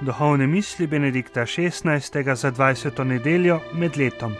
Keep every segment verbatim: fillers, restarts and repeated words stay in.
Duhovne misli Benedikta šestnajstega za dvajseto nedeljo med letom.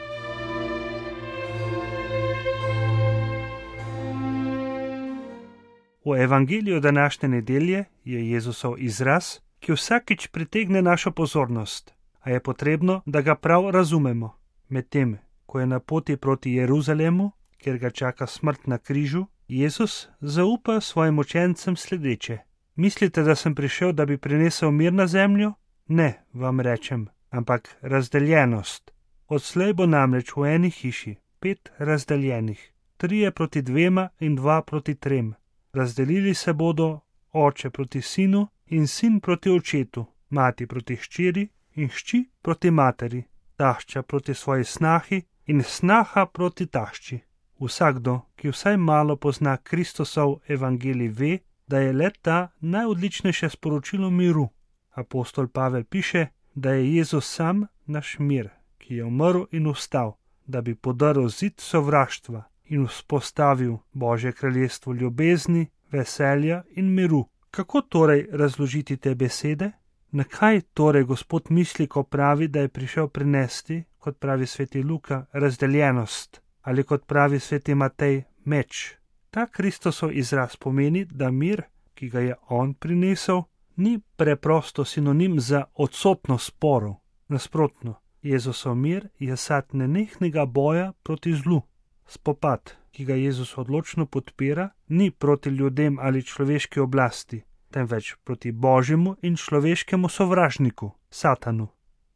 V evangeliju današnje nedelje je Jezusov izraz, ki vsakič pritegne našo pozornost, a je potrebno, da ga prav razumemo. Medtem, ko je na poti proti Jeruzalemu, kjer ga čaka smrt na križu, Jezus zaupa svojim učencem sledeče: Mislite, da sem prišel, da bi prinesel mir na zemljo? Ne, vam rečem, ampak razdeljenost. Odslej bo namreč v eni hiši pet razdeljenih, trije proti dvema in dva proti trem. Razdelili se bodo oče proti sinu in sin proti očetu, mati proti hčeri in hči proti materi, tašča proti svoji snahi in snaha proti tašči. Vsakdo, ki vsaj malo pozna Kristusov evangelij, ve, da je le ta najodličnejše sporočilo miru. Apostol Pavel piše, da je Jezus sam naš mir, ki je umrl in vstal, da bi podaril zid sovraštva in vzpostavil Božje kraljestvo ljubezni, veselja in miru. Kako torej razložiti te besede? Na kaj torej Gospod misli, ko pravi, da je prišel prinesti, kot pravi sveti Luka, razdeljenost, ali kot pravi sveti Matej, meč? Ta Kristusov izraz pomeni, da mir, ki ga je on prinesel, ni preprosto sinonim za odsotnost sporov. Nasprotno, Jezusov mir je sad nenehnega boja proti zlu. Spopad, ki ga Jezus odločno podpira, ni proti ljudem ali človeški oblasti, temveč proti Božjemu in človeškemu sovražniku, Satanu.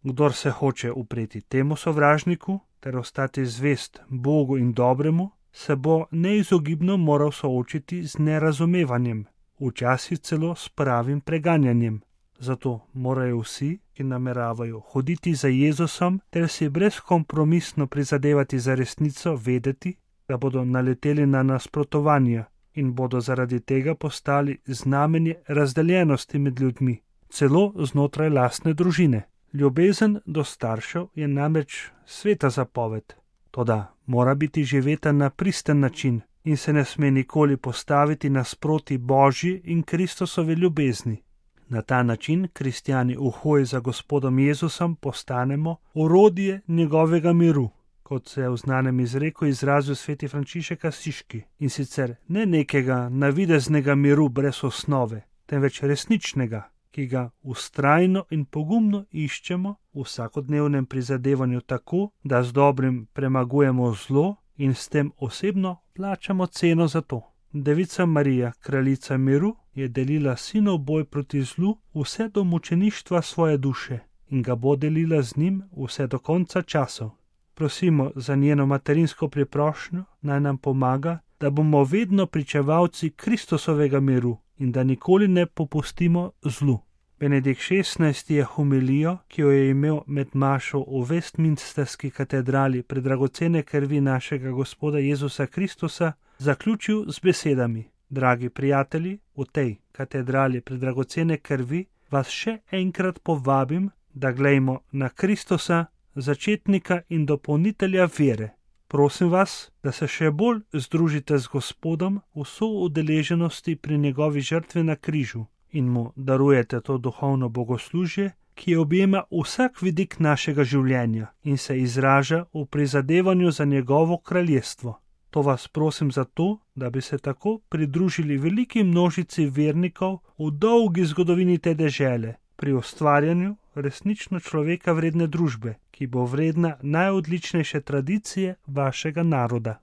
Kdor se hoče upreti temu sovražniku ter ostati zvest Bogu in dobremu, se bo neizogibno moral soočiti z nerazumevanjem, včasih celo s pravim preganjanjem. Zato morajo vsi, ki nameravajo hoditi za Jezusom ter si brezkompromisno prizadevati za resnico, vedeti, da bodo naleteli na nasprotovanja in bodo zaradi tega postali znamenje razdeljenosti med ljudmi, celo znotraj lastne družine. Ljubezen do staršev je namreč sveta zapoved, toda mora biti živeta na pristen način in se ne sme nikoli postaviti nasproti Božji in Kristusove ljubezni. Na ta način kristjani v hoji za Gospodom Jezusom postanemo orodje njegovega miru, kot se je v znanem izreku izrazil sveti Frančišek Asiški, in sicer ne nekega navideznega miru brez osnove, temveč resničnega, ki ga vztrajno in pogumno iščemo v vsakodnevnem prizadevanju tako, da z dobrim premagujemo zlo in s tem osebno plačamo ceno za to. Devica Marija, kraljica miru, je delila sinov boj proti zlu vse do mučeništva svoje duše in ga bo delila z njim vse do konca časov. Prosimo za njeno materinsko priprošnjo, naj nam pomaga, da bomo vedno pričevalci Kristusovega miru in da nikoli ne popustimo zlu. Benedikt šestnajsti je homilijo, ki jo je imel med mašo v Westminsterski katedrali pred dragocene krvi našega Gospoda Jezusa Kristusa, zaključil z besedami: Dragi prijatelji, v tej katedrali pred dragocene krvi vas še enkrat povabim, da glejmo na Kristusa, začetnika in dopolnitelja vere. Prosim vas, da se še bolj združite z Gospodom v soudeleženosti pri njegovi žrtvi na križu in mu darujete to duhovno bogoslužje, ki objema vsak vidik našega življenja in se izraža v prizadevanju za njegovo kraljestvo. To vas prosim zato, da bi se tako pridružili veliki množici vernikov v dolgi zgodovini te dežele pri ustvarjanju resnično človeka vredne družbe, ki bo vredna najodličnejše tradicije vašega naroda.